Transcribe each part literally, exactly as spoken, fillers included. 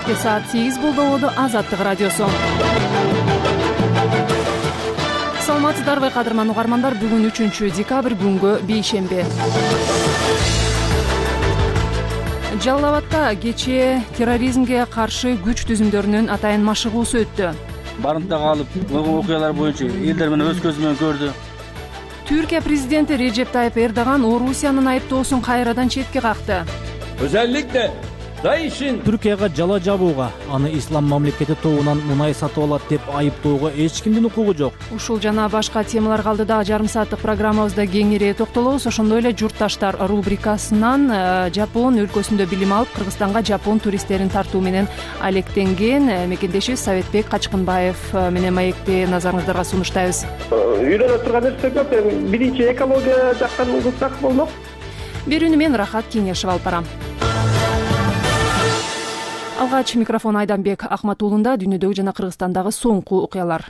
Кечки саат сегиз болду. Азаттык радиосу. Саламатсыздарбы кадырман угармандар, бүгүн үчүнчү декабрь күнгө бейшемби. Жалал Абадта кечээ терроризмге каршы күч түзүмдөрүнүн атайын машыгуусу өттү. Барымта калып, болгон окуялар боюнча элдер менен өз көзү менен көрдү. Түркия президенти Реджеп Тайып Эрдоган Орусиянын айыптоосун кайрадан четке какты. Özellikle Daesh'in Түркияга жала жабууга, аны ислам мамлекети тобунан мунай сатып алат деп айыптоого эч кимдин укугу жок. Ушул жана башка темаларга алдыда жарым сааттык программабызда кеңири токтолобуз. Ошондой эле журтташтар рубрикасынан Жапон өлкөсүндө билим алып, Кыргызстанга жапон туристтерин тартуу менен алектенген мекендешибиз Советбек Качкынбаев менен маекти назарыңыздарга сунуштайбыз. Үйрөнө турган нерсе көп. Биринчи экология жактан кылсак болмок. Берүүнү мен Рахат Кеңешев алып барам. Алгач микрофон Айданбек Акматуулунда. Дүйнөдөгү жана Кыргызстандагы соңку окуялар.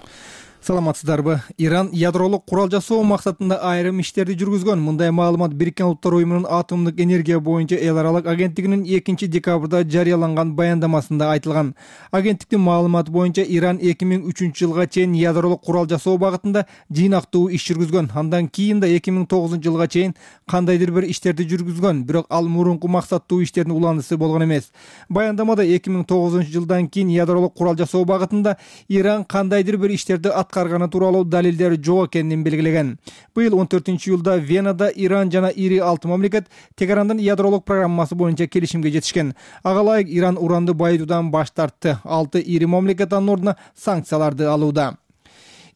Саламатсыздарбы? Иран ядролук курал жасоо максатында айрым иштерди жүргүзгөн. Мындай маалымат Бириккен Улуттар уюмунун атомдук энергия боюнча эл аралык агенттигинин экинчи декабрда жарыяланган баяндамасында айтылган. Агенттиктин маалыматы боюнча Иран эки миң үчүнчү жылга чейин ядролук курал жасоо багытында жыйнактуу иш жүргүзгөн. Андан кийин да эки миң тогузунчу жылга чейин кандайдыр бир иштерди жүргүзгөн, бирок ал мурунку максаттуу иштердин уландысы болгон эмес. Баяндамада эки миң тогузунчу жылдан кийин ядролук курал жасоо багытында Иран кандайдыр бир иштерди аткарганы тууралуу далилдер жок экенин белгилеген. Быйыл он төртүнчү июлда Венада Иран жана ири алты мамлекет Тегерандын ядролук программасы боюнча келишимге жетишкен. Ага ылайык Иран уранды байытуудан баш тартты. Алты ири мамлекет анын ордуна санкцияларды алууда.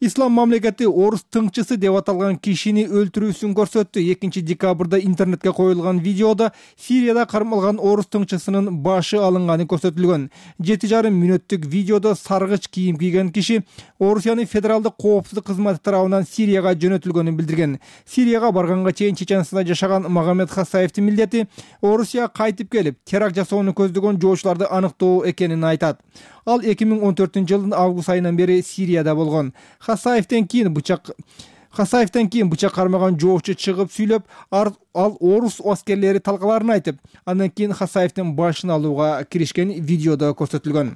Ислам мамлекети орус тыңчысы деп аталган кишини өлтүрүүсүн көрсөттү. экинчи декабрда интернетке коюлган видеода Сирияда кармалган орус тыңчысынын башы алынганы көрсөтүлгөн. жети жарым мүнөттүк видеодо саргыч кийим кийген киши Орусиянын федералдык коопсуздук кызматы тарабынан Сирияга жөнөтүлгөнүн билдирген. Сирияга барганга чейин Чеченстанда жашаган Магомед Хасаевдин милдети Орусияга кайтып келип, теракт жасоону көздөгөн жоочуларды аныктоо экенин айтат. Ал эки миң он төртүнчү жылдын август айынан бери Сирияда болгон. Хасаевден кийин бычак Хасаевден кийин бычак кармаган жоочу чыгып сүйлөп, ал орус аскерлери талкаларын айтып, андан кийин Хасаевдин башын алууга киришкен видеодо көрсөтүлгөн.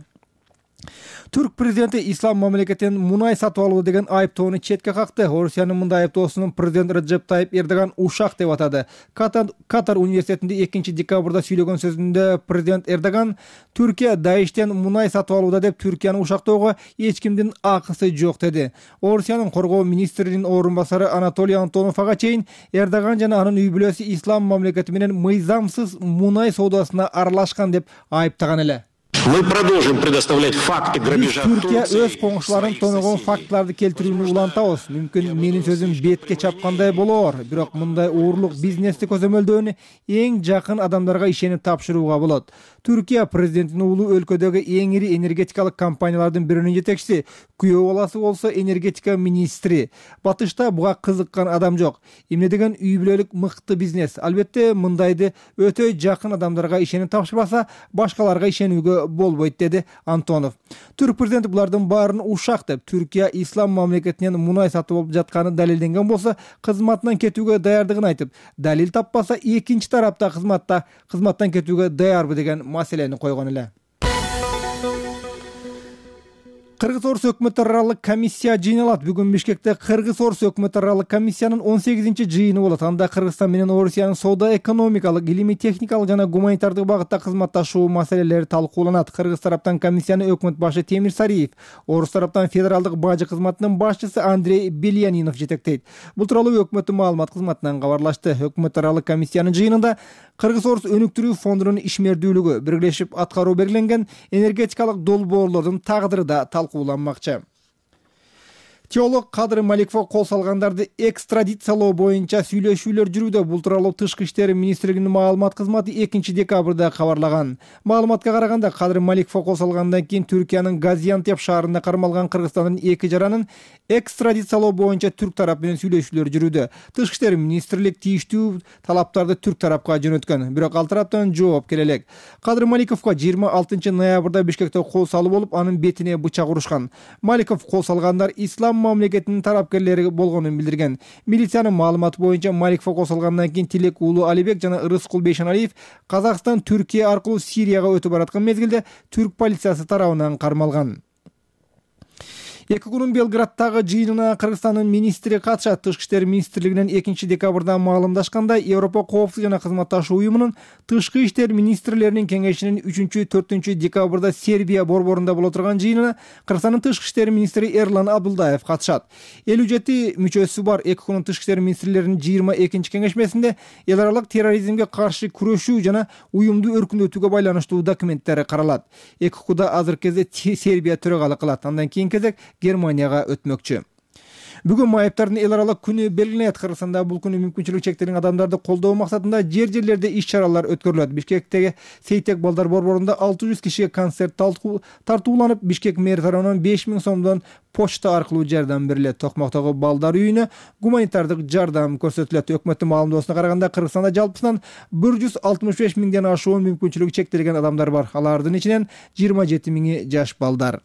Түрк президенти ислам мамлекетинин мунай сатып алуу деген айыптоону четке какты. Орусиянын мындай айыптоосун президент Реджеп Тайып Эрдоган ушак деп атады. Катар, Катар университетинде экинчи декабрда сүйлөгөн сөзүндө президент Эрдоган Түркия Даиштен мунай сатып алууда деп Түркияны ушактоого эч кимдин акысы жок деди. Орусиянын коргоо министринин орун басары Анатолий Антонов ага чейин Эрдоган жана анын үй бүлөсү ислам мамлекети менен мыйзамсыз мунай соодасына аралашкан деп айыптаган эле. Мы продолжим предоставлять факты грабежа. Түркия өз коңшуларын тоногон фактыларды келтирүүнү улантабыз. Мүмкүн менин сөзүм бетке чапкандай болоор, бирок мындай уурлук бизнести көзөмөлдөөнү эң жакын адамдарга ишенип тапшырууга болот. Түркия президентинин уулу өлкөдөгү эң ири энергетикалык компаниялардын биринин жетекчиси, күйөө баласы болсо энергетика министри. Батышта буга кызыккан адам жок. Эмне деген үй бүлөлүк мыкты бизнес. Албетте мындайды өтө жакын адамдарга ишенип тапшырбаса, башкаларга ишенүүгө болбойт, деди Антонов. Түрк президенти булардын баарын ушак деп, Түркия ислам мамлекетинен мунай сатып алып жатканы далилденген болсо, кызматынан кетүүгө даярдыгын айтып, далил таппаса экинчи тарапта кызматта кызматтан кетүүгө даярбы деген маселени койгон эле. Кыргыз-Орус өкмөт аралык комиссия жыйналат. Бүгүн Бишкекте Кыргыз-Орус өкмөт аралык комиссиянын он сегизинчи жыйыны болот. Анда Кыргызстан менен Орусиянын соода экономикалык, илимий техникалык жана гуманитардык багытта кызматташуу маселелери талкууланат. Кыргыз тараптан комиссияны өкмөт башы Темир Сариев, Орус тараптан федералдык бажы кызматынын башчысы Андрей Бельянинов жетектейт. Бул тууралуу өкмөттүн маалымат кызматынан кабарлашты. Өкмөт аралык комиссиянын жыйынында Кыргыз-Орус өнүктүрүү фондунун ишмердүүлүгү, биргелешип аткаруу белгиленген энергетикалык долбоорлордун тагдыры да талкууланмакчы. Теолог Кадыр Маликовго кол салгандарды экстрадициялоо боюнча сүйлөшүүлөр жүрүүдө. Бул тууралуу Тышкы иштер министрлигинин маалымат кызматы экинчи декабрда кабарлаган. Маалыматка караганда, Кадыр Маликовго кол салгандан кийин Түркиянын Газиантеп шаарында кармалган Кыргызстандын эки жаранын экстрадициялоо боюнча түрк тарап менен сүйлөшүүлөр жүрүүдө. Тышкы иштер министрлик тийиштүү талаптарды түрк тарапка жөнөткөн, бирок ал тараптан жооп келе элек. Кадыр Маликовго жыйырма алтынчы ноябрда Бишкекте кол салуу болуп, анын бетине бычак урушкан. Маликов кол салгандар ислам мамлекетинин тарапкерлери болгонун билдирген. Милициянын маалыматы боюнча Маликова косулгандан кийин Тилек уулу Алибек жана Рыскул Бейшеналиев Казакстан Түркия аркылуу Сирияга өтүп бараткан мезгилде түрк полициясы тарабынан кармалган. Эки күнүн Белградтагы жыйынына Кыргызстандын министри катышат. Тышкы иштер министрлигинен экинчи декабрда маалымдашкандай, Европа коопсуздук жана кызматташуу уюмунун тышкы иштер министрлеринин кеңешинин үчүнчү төртүнчү декабрда Сербия борборунда боло турган жыйынына Кыргызстандын тышкы иштер министри Эрлан Абдулдаев катышат. элүү жети мүчөсү бар эки күнүн тышкы иштер министрлеринин жыйырма экинчи кеңешмесинде эл аралык терроризмге каршы күрөшүү жана уюмду өркүндөтүүгө байланыштуу документтер каралат. Эки куда азыркы кезде Сербия төрагалык кылат. Андан кийин кезек Германияга өтмөкчү. Бүгүн майыптардын эл аралык күнү белгиленет. Кыргызстанда бул күнү мүмкүнчүлүгү чектелген адамдарды колдоо максатында жер-жерлерде иш-чаралар өткөрүлөт. Бишкектеги Сейтек балдар борборунда алты жүз кишиге концерт тартууланып, Бишкек мэр тарабынан беш миң сомдон почта аркылуу жардам берилет. Токмоктогу балдар үйүнө гуманитардык жардам көрсөтүлөт. Өкмөттүн маалымдоосуна караганда, Кыргызстанда жалпысынан бир жүз алтымыш беш миңден ашуун мүмкүнчүлүгү чектелген адамдар бар. Алардын ичинен жыйырма жети миңи жаш балдар.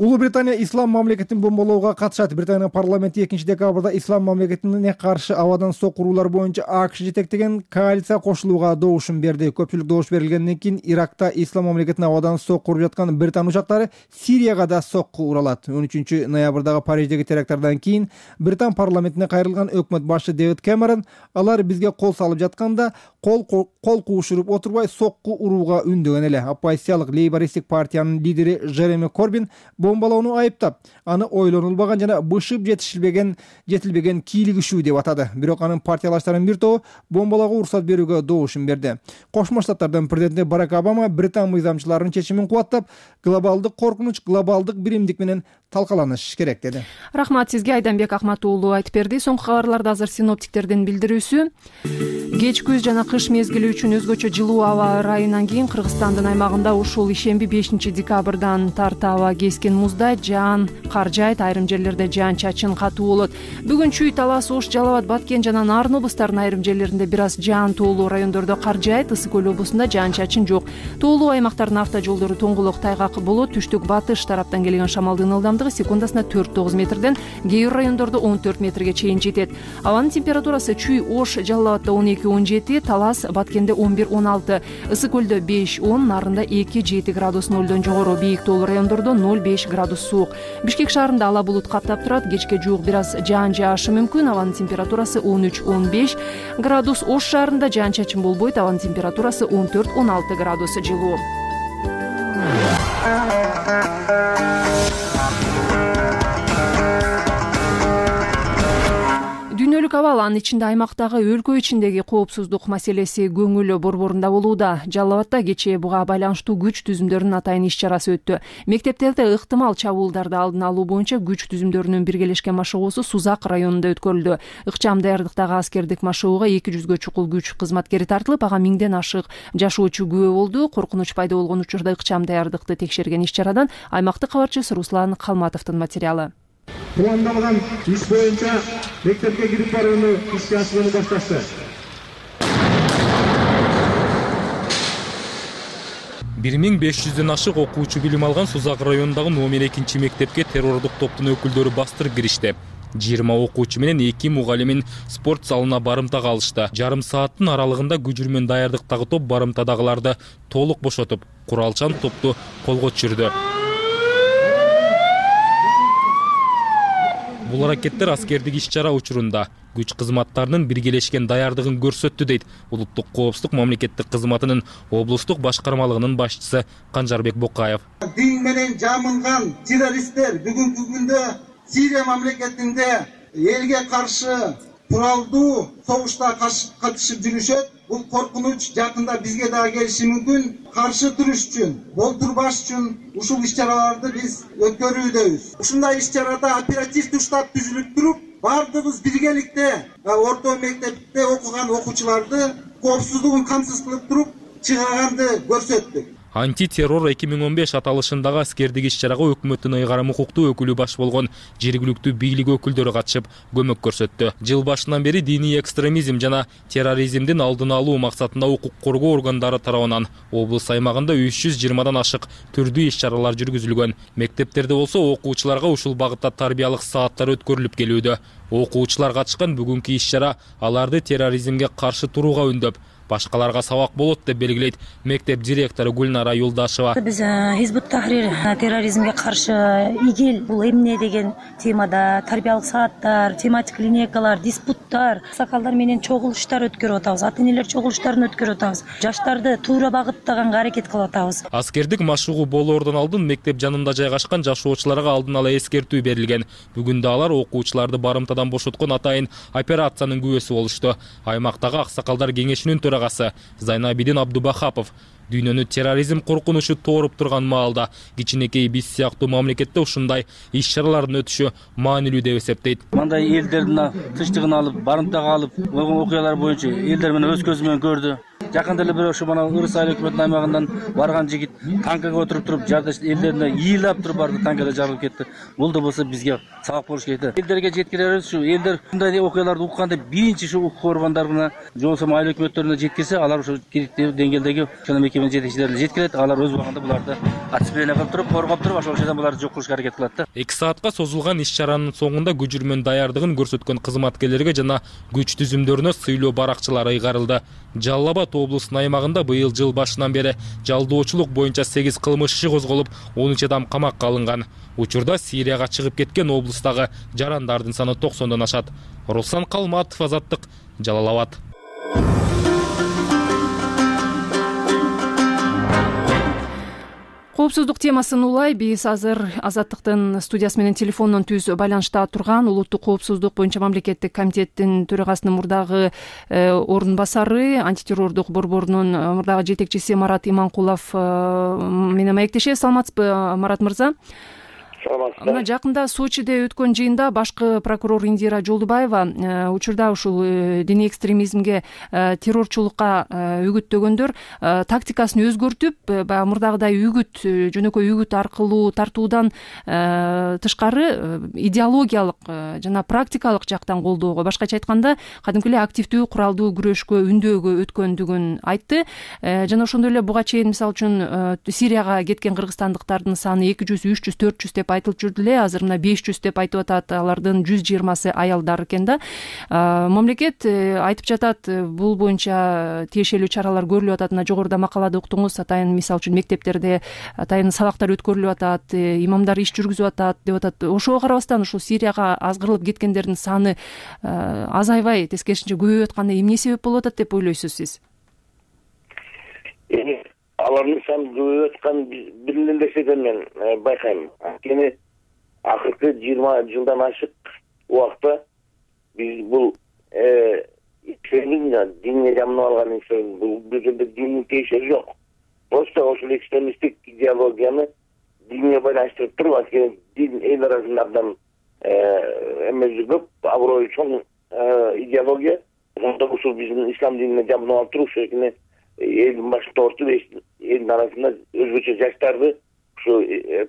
Улуу Британия ислам мамлекетин бомболоого катышат. Британия парламенти экинчи декабрда ислам мамлекетине каршы абадан сокуруулар боюнча АКШ жетектеген коалиция кошулууга добушун берди. Көпчүлүк добуш берилгенден кийин Иракта ислам мамлекетине абадан сокуруп жаткан Британ учактары Сирияга да сокку уралат. он үчүнчү ноябрдагы Париждеги теракттардан кийин Британ парламентине кайрылган өкмөт башы Дэвид Кэмерон алар бизге кол салып жатканда кол кол куушуруп отурбай сокку урууга үндөгөн эле. Оппозициялык лейбористтик партиянын лидери Жереми Корбин бомбалоону айыптап, аны ойлонулбаган жана бышып жетишилбеген жетилбеген кийлигишүү деп атады. Бирок анын партиялаштарынын бир тобу бомбалоого уруксат берүүгө добушун берди. Кошмо Штаттардын президенти Барак Обама Британ мыйзамчыларынын чечимин кубаттап, глобалдык коркунуч глобалдык биримдик менен талкаланыш керек деди. Рахмат сизге, Айданбек Акмат уулу айтып берди. Соңку кабарларда азыр синоптиктердин билдирүүсү. Кеч күз жана кыш мезгили үчүн өзгөчө жылуу аба ырайынан кийин Кыргызстандын аймагында ушул ишемби бешинчи декабрдан тарта аба кескен музда жаан кар жаайт, айрым жерлерде жаан чачын катуу болот. Бүгүн Чүй, Талас, Ош, Жалал Абад, Баткен жана Нарын облустарынын айрым жерлеринде бир аз жаан тоолуу райондордо кар жаайт. Ысык көл облусунда жаан чачын жок. Тоолуу аймактардын автожолдору тоңгулук, тайгак болот. Түштүк батыш тараптан келген шамалдын ылдамдыгы секундасына төрт тогуз метрден, кээ бир райондордо он төрт метрге чейин жетет. Абанын температурасы Чүй, Ош, Жалал Абадда он эки он жети, Талас, Баткенде он бир он алты, Ысык көлдө беш он, Нарында эки жети градус нолдон жогору, бийик тоолуу райондордо ноль беш градус суук. Бишкек шаарында ала булут каптап турат, кечке жуук бир аз жаан жаашы мүмкүн. Абанын температурасы он үч он беш градус. Ош шаарында жаан чачын болбойт, абанын температурасы он төрт он алты градус жылуу. Дүйнөлүк абал, анын ичинде аймактагы өлкө ичиндеги коопсуздук маселеси көңүл борборунда болууда. Жалал Абадда кечээ буга байланыштуу күч түзүмдөрүнүн атайын иш-чарасы өттү. Мектептерде ыктымал чабуулдарды алдын алуу боюнча күч түзүмдөрүнүн биргелешкен машыгуусу Сузак районунда өткөрүлдү. Ыкчам даярдыктагы аскердик машыгууга эки жүзгө чукул күч кызматкери тартылып, ага миңден ашык жашоочу күбө болду. Коркунуч пайда болгон учурда ыкчам даярдыкты текшерген иш-чарадан аймактык кабарчысы Руслан Калматовдун материалы. Пландалган иш боюнча мектепке кирип барууну ишке ашырууну башташты. бир миң беш жүздөн ашык окуучу билим алган Сузак районундагы номер экинчи мектепке террордук топтун өкүлдөрү бастырып киришти. жыйырма окуучу менен эки мугалимин спорт залына барымтага алышты. Жарым сааттын аралыгында күжүрмөн даярдыктагы топ барымтадагыларды толук бошотуп, куралчан топту колго түшүрдү. Бул аракеттер аскердик иш-чара учурунда күч кызматтарынын биргелешкен даярдыгын көрсөттү, дейт Улуттук коопсуздук мамлекеттик кызматынын облустук башкармалыгынын башчысы Канжарбек Бокаев. Дин менен жамылган террористтер бүгүнкү күндө Сирия мамлекетинде элге каршы куралдуу согушта катышып жүрүшөт. Бул коркунуч жакында бизге дагы келиши мүмкүн. Каршы туруш үчүн, болтурбаш үчүн ушул иш-чараларды биз өткөрүүдөбүз. Ушундай иш-чарада оперативдик штаб түзүлүп туруп, бардыгыбыз биргеликте орто мектепте окуган окуучуларды коопсуздугун камсыз кылып туруп чыгаганды көрсөттүк. Антитеррор эки миң он беш аталышындагы аскердик иш-чарага өкмөттүн ыйгарым укуктуу өкүлү баш болгон жергиликтүү бийлик өкүлдөрү катышып көмөк көрсөттү. Жыл башынан бери диний экстремизм жана терроризмдин алдын алуу максатында укук коргоо органдары тарабынан облус аймагында үч жүз жыйырмадан ашык түрдүү иш-чаралар жүргүзүлгөн. Мектептерде болсо окуучуларга ушул багытта тарбиялык сааттар өткөрүлүп келүүдө. Окуучулар катышкан бүгүнкү иш-чара аларды терроризмге каршы турууга үндөп, башкаларга сабак болот деп белгилейт мектеп директору Гүлнара Юлдашева. Биз Хизбут Тахрир терроризмге каршы игил бул эмне деген темада тарбиялык сааттар, тематик линейкалар, диспуттар, сакалдар менен чогулуштар өткөрүп атабыз, ата-энелер чогулуштарын өткөрүп атабыз. Жаштарды туура багыттаганга аракет кылып атабыз. Аскердик машыгуу болоордон алдын мектеп жанында жайгашкан жашоочуларга алдын ала эскертүү берилген. Бүгүн да алар окуучуларды барымтадан бошоткон атайын операциянын күбөсү болушту. Аймактагы аксакалдар кеңешинин төрагасы Зайнабидин Абдубахапов дүйнөнү терроризм коркунучу тооруп турган маалда кичинекей биз сыяктуу мамлекетте ушундай иш-чаралардын өтүшү маанилүү деп эсептейт. Мындай элдердин тынчтыгын алып, барымтага алып, болгон окуялар боюнча элдер менен өз көзү менен көрдү. Жакында эле бир ошо мына Ырыс айыл өкмөтүнүн аймагынан барган жигит танкага отуруп туруп, жардаш элдерине ийилап туруп барды, танкада жарылып кетти. Бул да болсо бизге сабак болуш керек. Элдерге жеткиребиз ушу элдер мындай окуяларды укканда биринчи ушу укук органдарына, же болбосо айыл өкмөттөрүнө жеткирсе, алар ошо керектүү деңгээлдеги ошол мекеменин жетекчилерине жеткирет. Алар өз убагында буларды отцепление кылып туруп, коргоп туруп, ошол жерден буларды жок кылышка аракет кылат да. эки саатка созулган иш-чаранын соңунда күжүрмөн даярдыгын көрсөткөн кызматкерлерге жана күч түзүмдөрүнө сыйлоо баракчылары ыйгарылды. Жалал Абад облусунун аймагында быйыл жыл башынан бери жалдоочулук боюнча сегиз кылмыш иши козголуп, он үч адам камакка алынган. Учурда Сирияга чыгып кеткен облустагы жарандардын саны токсондон ашат. Руслан Калматов, Азаттык, Жалал Абад. Коопсуздук темасын улай биз азыр Азаттыктын студиясы менен телефондон түз байланышта турган улуттук коопсуздук боюнча мамлекеттик комитеттин төрагасынын мурдагы орун басары, антитеррордук борборунун мурдагы жетекчиси Марат Иманкулов менен маектешебиз. Саламатсызбы, Марат мырза? Мына жакында Сочиде өткөн жыйында башкы прокурор Индира Жолдубаева учурда ушул диний экстремизмге, террорчулукка үгүттөгөндөр тактикасын өзгөртүп, баягы мурдагыдай үгүт, жөнөкөй үгүт аркылуу тартуудан тышкары идеологиялык жана практикалык жактан колдоого, башкача айтканда кадимки эле активдүү куралдуу күрөшкө үндөөгө өткөндүгүн айтты. Жана ошондой эле буга чейин мисалы үчүн Сирияга кеткен кыргызстандыктардын саны эки жүз, үч жүз, төрт жүз деп айтылып жүрдү эле. Азыр мына беш жүз деп айтып атат. Алардын жүз жыйырмасы аялдар экен да. Мамлекет айтып жатат, бул боюнча тиешелүү чаралар көрүлүп атат. Мына жогоруда макалада уктуңуз, атайын мисалы үчүн мектептерде атайын сабактар өткөрүлүп атат, имамдар иш жүргүзүп атат деп атат. Ошого карабастан ушул Сирияга азгырылып кеткендердин саны азайбай, тескерисинче көбөйүп атканы эмне себеп болуп атат деп ойлойсуз сиз? Алардын саны көбөйүп атканын билген нерседен мен байкайм. Анткени акыркы жыйырма жылдан ашык убакта биз бул экстремизм, динге жамынып алган инсан, бул жерде диндин тиешеси жок. Просто ошол экстремисттик идеологияны динге байланыштырып туруп, анткени дин эл арасында абдан эмеси көп, аброю чоң идеология. Ошондо ушул биздин ислам динине жамынып алып туруп, ошоне элдин башында ортуп, элдин арасында өзгөчө жаштарды ушу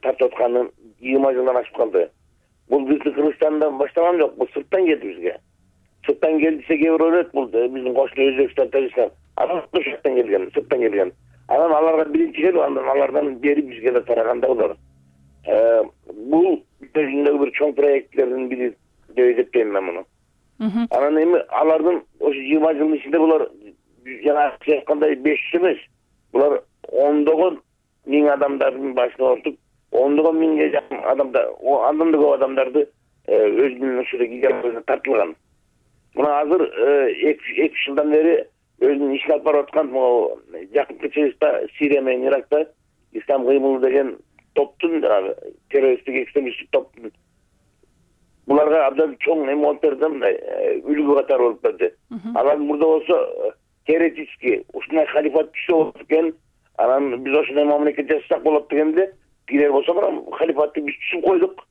тартып атканы жыйырма жылдан ашып калды. Бул биздин Кыргызстандан башталган жок, бул сырттан келди бизге. Сырттан келди десе кээ бир ойлойт, бул биздин кошуна Өзбекстан, Тажикстан, анан сырттан келген, сырттан келген. Анан аларга биринчи келип, андан алардан бери бизге да тараган да булар. Бул биздин бир чоң проектлердин бири деп эсептейм мен муну. Анан эми алардын ошо жыйырма жылдын ичинде булар жана айткандай беш жүз эмес, булар ондогон миң адамдардын башына ортуп, ондогон миңге жакын адамдар, андан да көп адамдарды өзүнүн ушул идеологиясына тартылган. Мына азыр эки үч жылдан бери өзүнүн ишин алып барып аткан жакынкы чыгышта Сирия менен Иракта Ислам кыймылы деген топтун, террористтик экстремисттик топтун буларга абдан чоң эме болуп берди, мындай үлгү катары болуп берди. Алар мурда болсо теоретически ушундай халифат күчтүү болот экен, анан биз ошондой мамлекет жасасак болот дегенде, кийинер болсо мына халифатты биз түшүп койдук.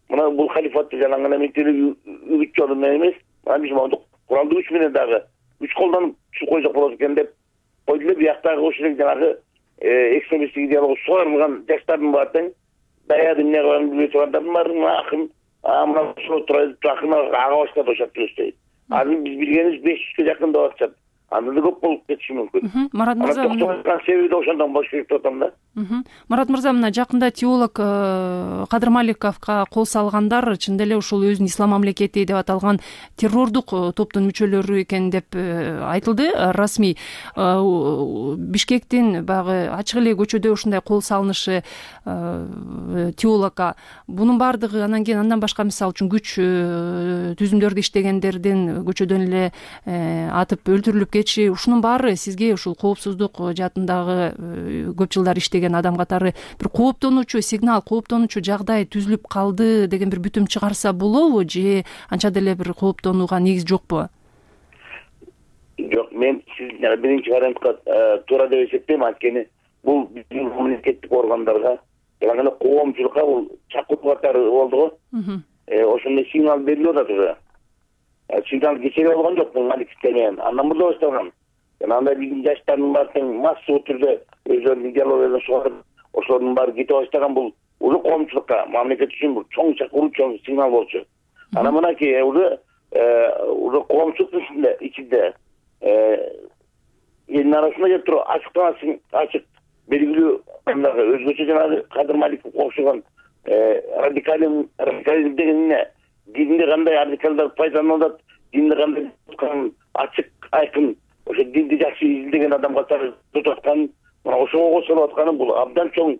Мына бул халифатты жана гана мектептеги үгүт жолу менен эмес, мына биз моунду куралдуу күч менен дагы күч колдонуп түшүп койсок болот экен деп койду эле. Бияктагы ушул жанагы экстремисттик идеология сугарылган жаштардын баары тең даяды эмне кылганын билбей тургандардын баары акын мына ошо турат акын ага баштап ошоп жүрүштү. Азыр биз билгенибиз беш жүзгө жакын деп атышат. Анда да көп болуп кетиши мүмкүн. Марат мырза, себеби да ошондон болуш керек деп атам да. Марат мырза, мына жакында теолог Кадыр Маликовго кол салгандар чын деле ушул өзүн ислам мамлекети деп аталган террордук топтун мүчөлөрү экен деп айтылды. Расмий Бишкектин баягы ачык эле көчөдө ушундай кол салынышы теологко, бунун баардыгы анан кийин андан башка мисалы үчүн күч түзүмдөрдү иштегендердин көчөдөн эле атып өлтүрүлүп кетиши, ушунун баары сизге ушул коопсуздук жаатындагы көп жылдар иштеген адам катары бир кооптонуучу сигнал, кооптонуучу жагдай түзүлүп калды деген бир бүтүм чыгарса болобу, же анча деле бир кооптонууга негиз жокпу? Жок, мен сиз биринчи вариантка туура деп эсептейм. Анткени бул биздин мамлекеттик органдарга жана эле коомчулукка бул чакыруу катары болду го. Ошондой сигнал берилип атат уже. Сигнал кечеге болгон жок, бул Маликовден менен андан мурда башталган. Жана андай биздин жаштардын баары тең массалуу түрдө өздөрүнүн идеологиясын сугарып, ошолордун баары кете баштаган бул уже коомчулукка, мамлекет үчүн бул чоң чакыруу, чоң сигнал болчу. Анан мынакей уже уже коомчулуктун ичинде ичинде элдин арасында кеп туруп ачыктан ачык белгилүү өзгөчө жанагы Кадыр Маликовго окшогон радикализм радикализм деген эмне? Динде кандай радикалдар пайдаланылат, динде кандай ачык айкын ошо динди жакшы изилдеген адам катары тутуп аткан, мына ошого кошулуп атканы бул абдан чоң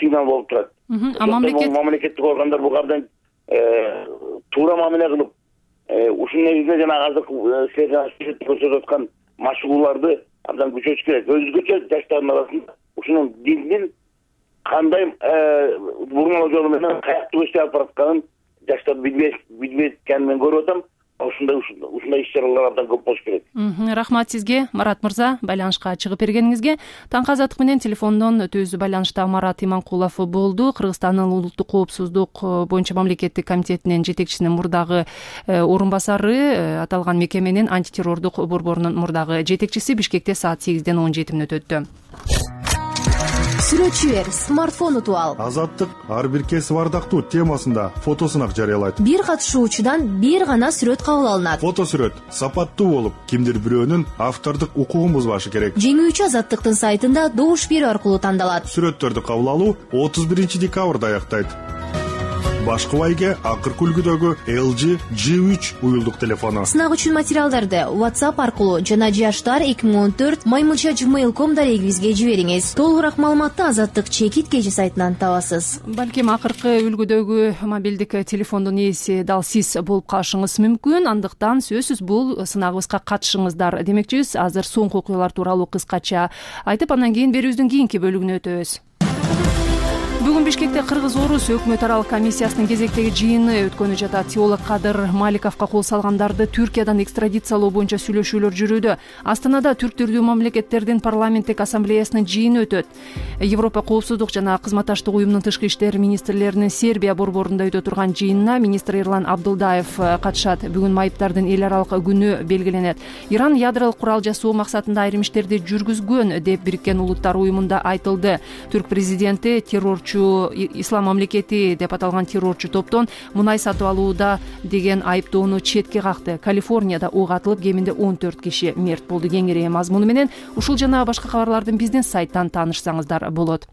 сигнал болуп турат. Мамлекеттик органдар буга абдан туура мамиле кылып, ушул негизинде жанагы азыр силер көрсөтүп аткан машыгууларды абдан күчөтүш керек. Өзгөчө жаштардын арасында ушунун диндин кандай бурмалоо жолу менен каякта өстүп алып баратканын жаштар билбейткенин мен көрүп атам. Ушундай ушундай иш-чаралар абдан көп болуш керек. Рахмат сизге, Марат мырза, байланышка чыгып бергениңизге. Таңкы азаттык менен телефондон түз байланышта Марат Иманкулов болду. Кыргызстандын улуттук коопсуздук боюнча мамлекеттик комитетинин жетекчисинин мурдагы орун басары, аталган мекеменин антитеррордук борборунун мурдагы жетекчиси. Бишкекте саат сегизден он жети мүнөт өттү. Сүрөтчү бер, смартфон утуп ал. Азаттык ар бир кесип ардактуу темасында фотосунак жарыялайт. Бир катышуучудан бир гана сүрөт кабыл алынат. Фотосүрөт сапаттуу болуп, кимдир бирөөнүн автордук укугун бузбашы керек. Жеңүүчү Азаттыктын сайтында добуш берүү аркылуу тандалат. Сүрөттөрдү кабыл алуу отуз биринчи декабрда аяктайт. Башкы байге акыркы үлгүдөгү эл джи джи үч уюлдук телефону. Сынак үчүн материалдарды WhatsApp аркылуу жана жаштар эки миң он төрт маймылча gmail точка com дарегибизге жибериңиз. Толугураак маалыматты Азаттык чекит кежи сайтынан табасыз. Балким акыркы үлгүдөгү мобилдик телефондун ээси дал сиз болуп калышыңыз мүмкүн. Андыктан сөзсүз бул сынагыбызга катышыңыздар демекчибиз. Азыр соңку окуялар тууралуу кыскача айтып, андан кийин берүүбүздүн кийинки бөлүгүнө өтөбүз. Бүгүн Бишкекте Кыргыз-Орус өкмөт аралык комиссиясынын кезектеги жыйыны өткөнү жатат. Теолог Кадыр Маликовго кол салгандарды Түркиядан экстрадициялоо боюнча сүйлөшүүлөр жүрүүдө. Астанада түрктүрдүү мамлекеттердин парламенттик ассамблеясынын жыйыны өтөт. Европа коопсуздук жана кызматташтык уюмунун тышкы иштер министрлеринин Сербия борборунда өтө турган жыйынына министр Эрлан Абдылдаев катышат. Бүгүн майыптардын эл аралык күнү белгиленет. Иран ядролук курал жасоо максатында айрым иштерди жүргүзгөн деп Бириккен Улуттар уюмунда айтылды. Түрк президенти террорчу ислам мамлекети деп аталган террорчу топтон мунай сатып алууда деген айыптоону четке какты. Калифорнияда ок атылып, кеминде он төрт киши мерт болду. Кеңири мазмуну менен ушул жана башка кабарлардын биздин сайттан таанышсаңыздар болот.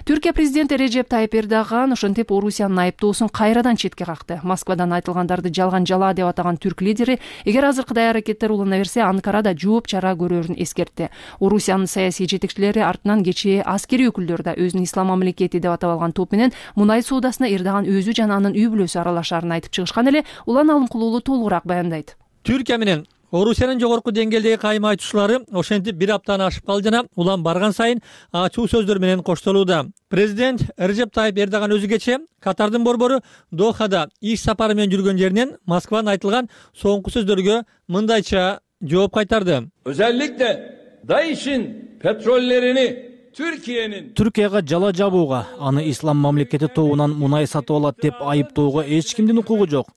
Түркия президенти Режеп Тайып Эрдоган ошентип Орусиянын айыптоосун кайрадан четке какты. Москвадан айтылгандарды жалган жала деп атаган түрк лидери эгер азыркыдай аракеттер улана берсе, Анкарада жооп чара көрөрүн эскертти. Орусиянын саясий жетекчилери артынан кечээ аскерий өкүлдөр да өзүн ислам мамлекети деп алган топ менен мунай соодасына Эрдоган өзү жана анын үй бүлөсү аралашаарын айтып чыгышкан эле. Улан Алымкулуулу толугураак баяндайт. Түркия менен Орусиянын жогорку деңгээлдеги кайым айтуучулары ошентип бир аптаны ашып калды жана улам барган сайын ачуу сөздөр менен коштолууда. Президент Режеп Тайып Эрдоган өзү кечээ Катардын борбору Дохада иш сапары менен жүргөн жеринен Москвадан айтылган соңку сөздөргө мындайча жооп кайтарды. Özellikle DAEŞ'in petrollerini Türkiye'nin Түркияга жала жабууга, аны ислам мамлекети тобунан мунай сатып алат деп айыптоого эч кимдин укугу жок.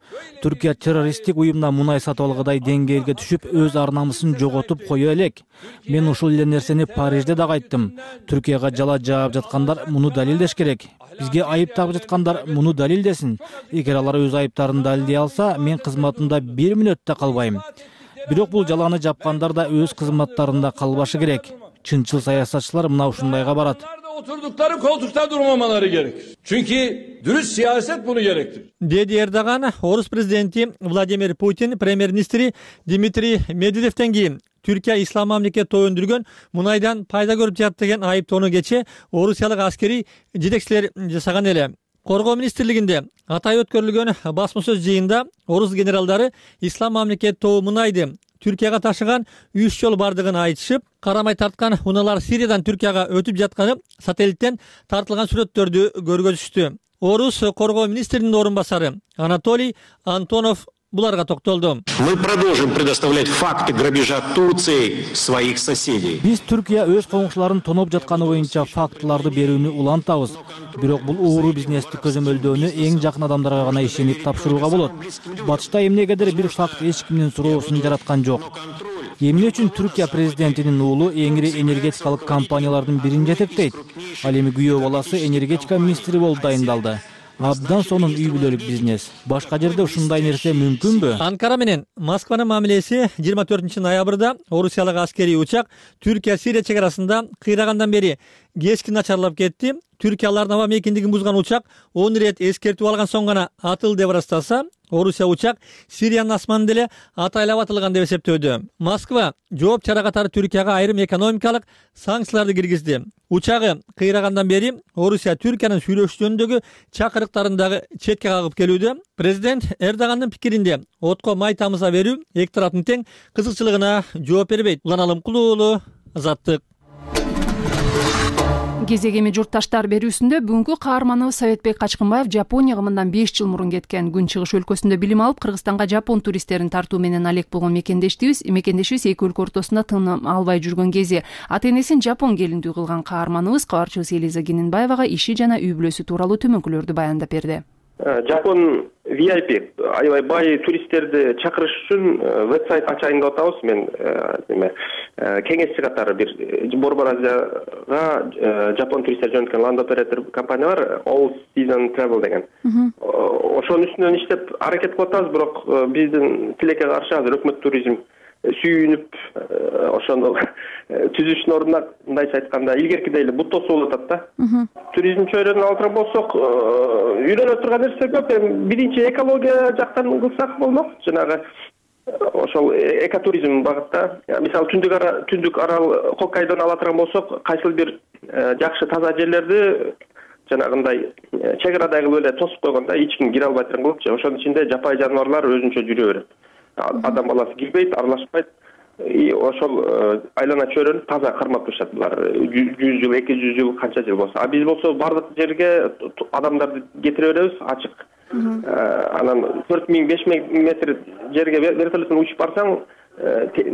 Түркия террористтик уюмдан мунай сатып алгыдай деңгээлге түшүп, өз ар-намысын жоготуп кое элек. Мен ушул эле нерсени Парижде дагы айттым. Түркияга жала жаап жаткандар муну далилдеш керек. Бизге айып тагып жаткандар муну далилдесин. Эгер алар өз айыптарын далилдей алса, мен кызматымда бир мүнөт да калбайм. Бирок бул жаланы жапкандар да өз кызматтарында калбашы керек. Чынчыл саясатчылар мына ушундайга барат. Oturdukları koltukta durmamaları gerekir. Çünkü dürüst siyaset bunu gerektirir. Dedi Erdoğan, Орус президенти Владимир Путин премьер-министри Дмитрий Медведевден кийин Түркия ислам мамлекети өндүргөн мунайдан пайда көрүп жатат деген айыптоону кече орусиялык аскери жетекчилер жасаган эле. Коргоо министрлигинде атай өткөрүлгөн басма сөз жыйында орус генералдары ислам мамлекети тобу мунайды Түркияга ташыган үч жол бардыгын айтышып, карамай тарткан унаалар Сириядан Түркияга өтүп жатканы сателлиттен тартылган сүрөттөрдү көргөзүштү. Орус коргоо министринин орун басары Анатолий Антонов буларга токтолду. Мы продолжим предоставлять факты грабежа Турции своих соседей. Биз Түркия өз коңшуларын тоноп жатканы боюнча фактыларды берүүнү улантабыз. Бирок бул ууру бизнести көзөмөлдөөнү эң жакын адамдарга гана ишенип тапшырууга болот. Батышта эмнегедир бир факт эч кимдин суроосун жараткан жок. Эмне үчүн Түркия президентинин уулу эңири энергетикалык компаниялардын бирин жетектейт? Ал эми күйөө баласы энергетика министри болуп дайындалды. Абдан сонун үй бүлөлүк бизнес. Башка жерде ушундай нерсе мүмкүнбү? Анкара менен Москванын мамилеси жыйырма төртүнчү ноябрда орусиялык аскерий учак Түркия-Сирия чек арасында кыйрагандан бери кечки начарлап кетти. Түркиялардын аба мейкиндигин бузган учак он ирет эскертүү алган соң гана атылды деп ырастаса, Орусия учак Сириянын асманында эле атайлап атылган деп эсептөөдө. Москва жооп чара катары Түркияга айрым экономикалык санкцияларды киргизди. Учагы кыйрагандан бери Орусия Түркиянын сүйлөшүү жөнүндөгү чакырыктарын дагы четке кагып келүүдө. Президент Эрдогандын пикиринде отко май тамыза берүү эки тараптын тең кызыкчылыгына жооп бербейт. Улан Алымкулуу уулу, Азаттык. Кезегеми журтташтар берүүсүндө бүгүнкү каарманыбыз Советбек Качкынбаев Жапонияга мындан беш жыл мурун кеткен. Күнчыгыш өлкөсүндө билим алып, Кыргызстанга жапон туристтерин тартуу менен алек болгон мекендештибиз, мекендешибиз эки өлкө ортосунда тыным албай жүргөн кези ата энесин жапон келиндүү кылган каарманыбыз кабарчыбыз Элиза Кененбаевага иши жана үй бүлөсү тууралуу төмөнкүлөрдү баяндап берди. Жапон ви ай пи аябай бай туристтерди чакырыш үчүн вебсайт ачайын деп атабыз. Мен эме кеңешчи катары бир Борбор Азияга жапон туристтер жөнөткөн ланд оператор компания бар, All Season Travel деген. Ошонун үстүнөн иштеп аракет кылып атабыз, бирок биздин тилекке каршы азыр өкмөт туризм сүйүнүп ошондо түзүшүнүн ордуна мындайча айтканда илгеркидей эле бут тосуп атат да. Туризм чөйрөнүн алдыран болсок, үйрөнө турган нерсе көп. Биринчи экология жактан кылсак болмок. Жанагы ошол экотуризм багытта, мисалы түндүк ара түндүк арал Хоккайдону ала турган болсок, кайсыл бир жакшы таза жерлерди жанагындай чек арадай кылып эле тосуп койгондо эч ким кире албай турган кылыпчы. Ошонун ичинде жапай жаныбарлар өзүнчө жүрө берет. Адам баласы кирбейт, аралашпайт. И ошол айлана чөйрөнү таза кармап турушат булар. жүз жыл, эки жүз жыл, канча жыл болсо. А биз болсо бардык жерге адамдарды кетире беребиз, ачык. Анан төрт миң, беш миң метр жерге вертолеттен учуп барсаң,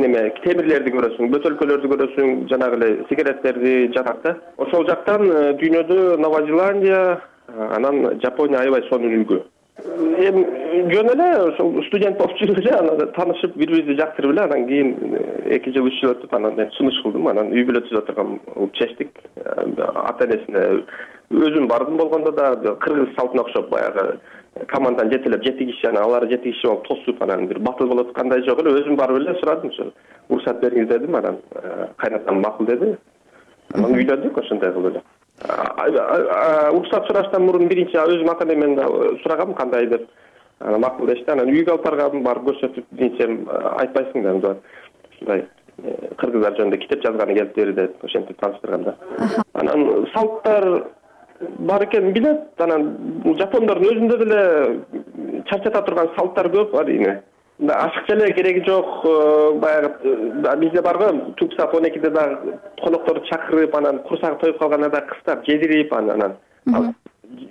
неме темирлерди көрөсүң, бөтөлкөлөрдү көрөсүң, жанагы эле сигареттерди жатат да. Ошол жактан дүйнөдө Нова Зеландия, анан Жапония аябай сонун үлгү. Эми жөн эле ошол студент болуп жүрүп эле анан таанышып, бири-бирибизди жактырып эле, анан кийин эки жыл, үч жыл өтүп, анан мен сунуш кылдым, анан үй бүлө түзүп турган болуп чечтик. Ата энесине өзүм бардым болгондо да кыргыз салтына окшоп баягы командадан жетелеп жети киши, анан алар жети киши болуп тосуп, анан бир батыл болуп аткандай жок эле, өзүм барып эле сурадым, ошо уруксат бериңиз дедим, анан кайнатам макул деди. Анан үйлөндүк ошондой кылып эле. Уруксат сураштан мурун биринчи өзүм ата энемен сурагам кандай деп. Анан макул дешти. Анан үйгө алып баргам, барып көрсөтүп, биринчи айтпайсың да, ушундай кыргыздар жөнүндө китеп жазганы келип бери деп ошентип тааныштырганда. Анан салттар бар экенин билет. Анан жапондордун өзүндө деле чарчата турган салттар көп, арийне. Ашыкча эле кереги жок, баягы бизде барго түнкү саат он экиде да конокторду чакырып, анан курсагы тоюп калганда да кыстап жедирип, анан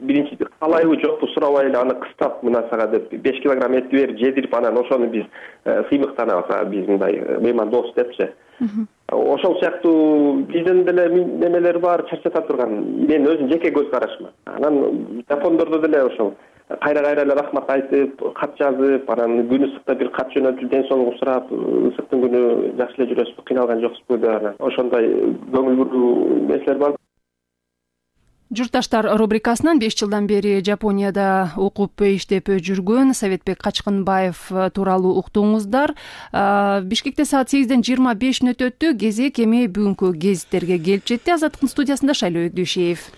биринчи каалайбы жокпу сурабай эле аны кыстап мына сага деп беш килограмм эт берип жедирип анан ошону биз сыймыктанабыз, биз мындай мейман дос депчи. Ошол сыяктуу бизден деле немелер бар, чарчата турган. Мен өзүм жеке көз карашым. Анан жапондордо деле ошол кайра-кайра эле рахмат айтып, кат жазып, анан күн ысыкта бир кат жөнөтүп, ден соолугун сурап, ысыктын күнү жакшы эле жүрөсүзбү, кыйналган жоксузбу деп анан ошондой көңүл буруу нерселер бар. Журтташтар рубрикасынан беш жылдан бери Жапонияда окуп иштеп жүргөн Советбек Качкынбаев тууралуу уктуңуздар. Бишкекте саат сегизден жыйырма беш мүнөт өттү. Кезек эми бүгүнкү гезиттерге келип жетти. Азаттыктын студиясында Шайлоо Өкдүшев.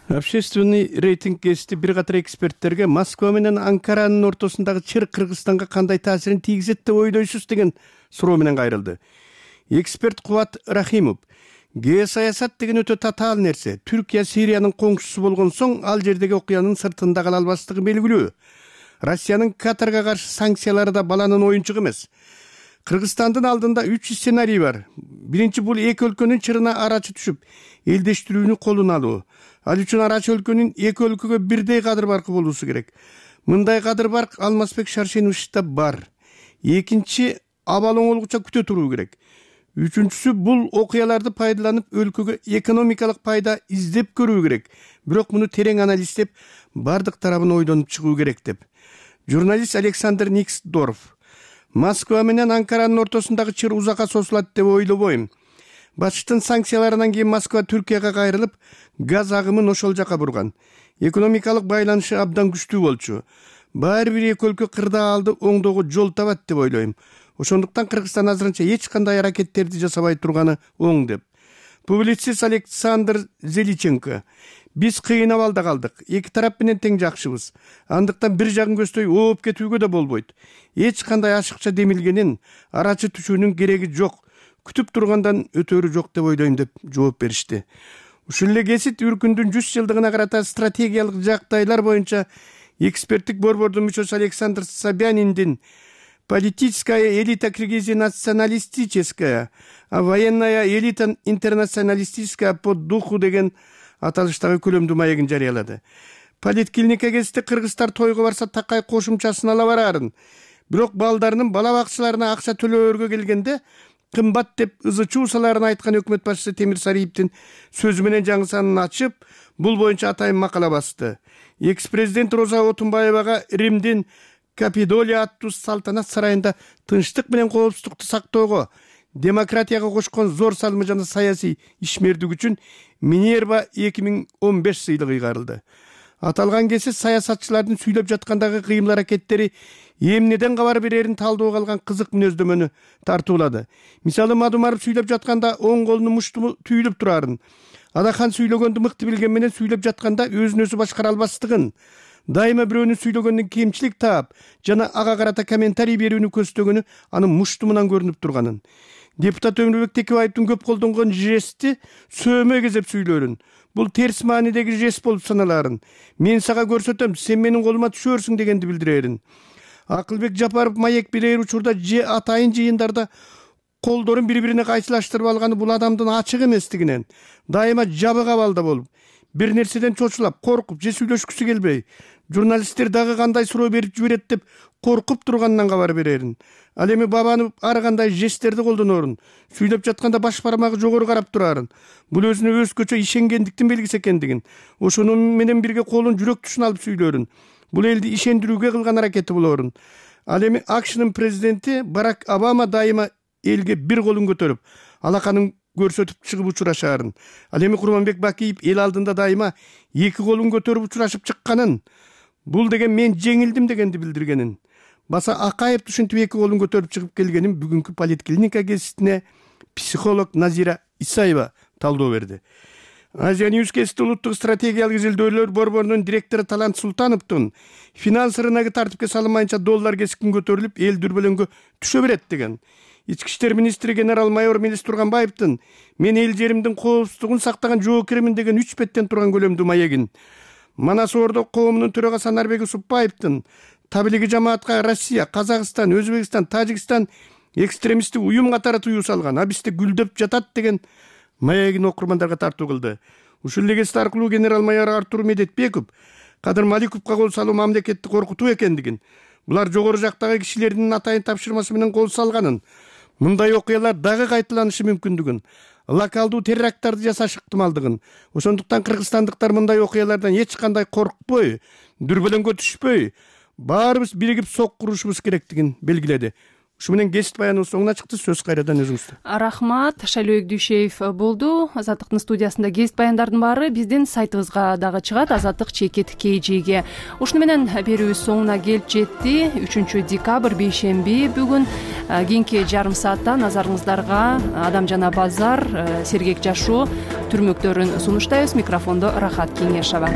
Общественный рейтинг гезити бир катар эксперттерге Москва менен Анкаранын ортосундагы чыр Кыргызстанга кандай таасирин тийгизет деп ойлойсуз деген суроо менен кайрылды. Эксперт Кубат Рахимов: геосаясат деген өтө татаал нерсе. Түркия Сириянын коңшусу болгон соң ал жердеги окуянын сыртында кала албастыгы белгилүү. Россиянын Катарга каршы санкциялары да баланын оюнчугу эмес. Кыргызстандын алдында үч сценарий бар. Биринчи, бул эки өлкөнүн чырына арачы түшүп, элдештирүүнү колуна алуу. Ал үчүн арачы өлкөнүн эки өлкөгө бирдей кадыр баркы болуусу керек. Мындай кадыр барк Алмазбек Шаршеновичте бар. Экинчи, абал оңолгуча күтө туруу керек. Үчүнчүсү, бул окуяларды пайдаланып өлкөгө экономикалык пайда издеп көрүү керек. Бирок муну терең анализдеп, бардык тарабын ойдонуп чыгуу керек деп. Журналист Александр Никсдорф: Москва менен Анкаранын ортосундагы чыр узакка созулат деп ойлобойм. Батыштын санкцияларынан кийин Москва Түркияга кайрылып, газ агымын ошол жака бурган. Экономикалык байланышы абдан күчтүү болчу. Баары бир эки өлкө кырдаалды оңдоого жол табат деп ойлойм. Ошондуктан Кыргызстан азырынча эч кандай аракеттерди жасабай турганы оң деп. Публицист Александр Зеличенко: биз кыйын абалда калдык. Эки тарап менен тең жакшыбыз. Андыктан бир жагын көздөй ооп кетүүгө да болбойт. Эч кандай ашыкча демилгенин, арачы түшүүнүн кереги жок. Күтүп тургандан өтөрү жок деп ойлойм деп жооп беришти. Ушул эле гезит Үркүндүн жүз жылдыгына карата стратегиялык жагдайлар боюнча эксперттик борбордун мүчөсү Александр Собяниндин «Политическая элита Киргизии националистическая, а военная элита интернационалистическая по духу» деген аталыштагы көлөмдүү маегин жарыялады. Политклиника гезити кыргыздар тойго барса такай кошумчасын ала барарын. Бирок балдарынын бала бакчыларына акча төлөөргө келгенде кымбат деп ызы чуусаларын айткан өкмөт башчысы Темир Сариевдин сөзү менен жаңы санын ачып, бул боюнча атайын макала басты. Экс-президент Роза Отунбаевага Римдин Капитолия аттуу салтанат сарайында тынчтык менен коопсуздукту сактоого, демократияга кошкон зор салымы жана саясий ишмердик үчүн Минерва эки миң он беш сыйлыгы ыйгарылды. Аталган кесип саясатчылардын сүйлөп жаткандагы кыймыл аракеттери эмнеден кабар берерин талдоого алган кызык мүнөздөмөнү тартуулады. Мисалы, Мадумаров сүйлөп жатканда оң колунун муштуму түйүлүп турарын, Адахан сүйлөгөндү мыкты билген менен сүйлөп жатканда өзүн өзү башкара албастыгын, дайыма бирөөнүн сүйлөгөндөн кемчилик таап жана ага карата комментарий берүүнү көздөгөнү анын муштумунан көрүнүп турганын. Депутат Өмүрбек Текебаевдин көп колдонгон жести сөөмө кезеп сүйлөрүн. Бул терс маанидеги жест болуп саналарын. Мен сага көрсөтөм, сен менин колума түшөрсүң дегенди билдирерин. Акылбек Жапаров маек берер учурда же атайын жыйындарда колдорун бири-бирине кайчылаштырып алганы бул адамдын ачык эместигинен, дайыма жабык абалда болуп, бир нерседен чочулап, коркуп же сүйлөшкүсү келбей, журналисттер дагы кандай суроо берип жиберет деп коркуп турганынан кабар берерин. Ал эми бабанып ар кандай жесттерди колдонорун, сүйлөп жатканда баш бармагы жогору карап турарын. Бул өзүнө өзгөчө ишенгендиктин белгиси экендигин, ошону менен бирге колун жүрөк тушуна алып сүйлөрүн. Бул элди ишендирүүгө кылган аракети болорун. Ал эми АКШнын президенти Барак Обама дайыма элге бир колун көтөрүп, алаканын көрсөтүп чыгып учурашаарын. Ал эми Курманбек Бакиев эл алдында дайыма эки колун көтөрүп учурашып чыкканын, бул деген мен жеңилдим дегенди билдиргенин. Баса Акаев түшүнтүп эки колун көтөрүп чыгып келгенин бүгүнкү Политклиника гезитине психолог Назира Исаева талдоо берди. Азия Ньюс гезити улуттук стратегиялык изилдөөлөр борборунун директору Талант Султановдун финанс рыногу тартипке салынмайынча доллар кескин көтөрүлүп, эл дүрбөлөңгө түшө берет деген. Ички иштер министри генерал-майор Мелис Турганбаевдин мен эл жеримдин коопсуздугун сактаган жоокеримин деген үч беттен турган көлөмдүү маегин, Манас Ордо коомунун төрагасы Анарбек Усупбаевдин табилиги жамаатка Россия, Казакстан, Өзбекстан, Тажикстан экстремисттик уюм катары тыюу салган, абисте гүлдөп жатат деген маегин окурмандарга тартуу кылды. Ушул эле гезит аркылуу генерал-майор Артур Медетбеков Кадыр Маликовго кол салуу мамлекетти коркутуу экендигин, булар жогору жактагы кишилердин атайын тапшырмасы менен кол салганын, мындай окуялар дагы кайталанышы мүмкүндүгүн, локалдуу теракттарды жасаш ыктымалдыгын, ошондуктан кыргызстандыктар мындай окуялардан эч кандай коркпой, дүрбөлөңгө түшпөй, баарыбыз биригип сок курушубуз керектигин белгиледи. Ушу менен кесип баяныбыз соңуна чыкты. Сөз кайрадан өзүңүздө. Рахмат. Шайлообек Дүйшеев болду. Азаттыктын студиясында кесип баяндардын баары биздин сайтыбызга дагы чыгат. Азаттык чекит kg'ге. Ушуну менен берүүбүз соңуна келип жетти. үчүнчү декабрь бейшемби бүгүн. Кийинки жарым саатта назарыңыздарга Адам жана базар, сергек жашоо түрмөктөрүн сунуштайбыз. Микрофондо Рахат Кеңешова.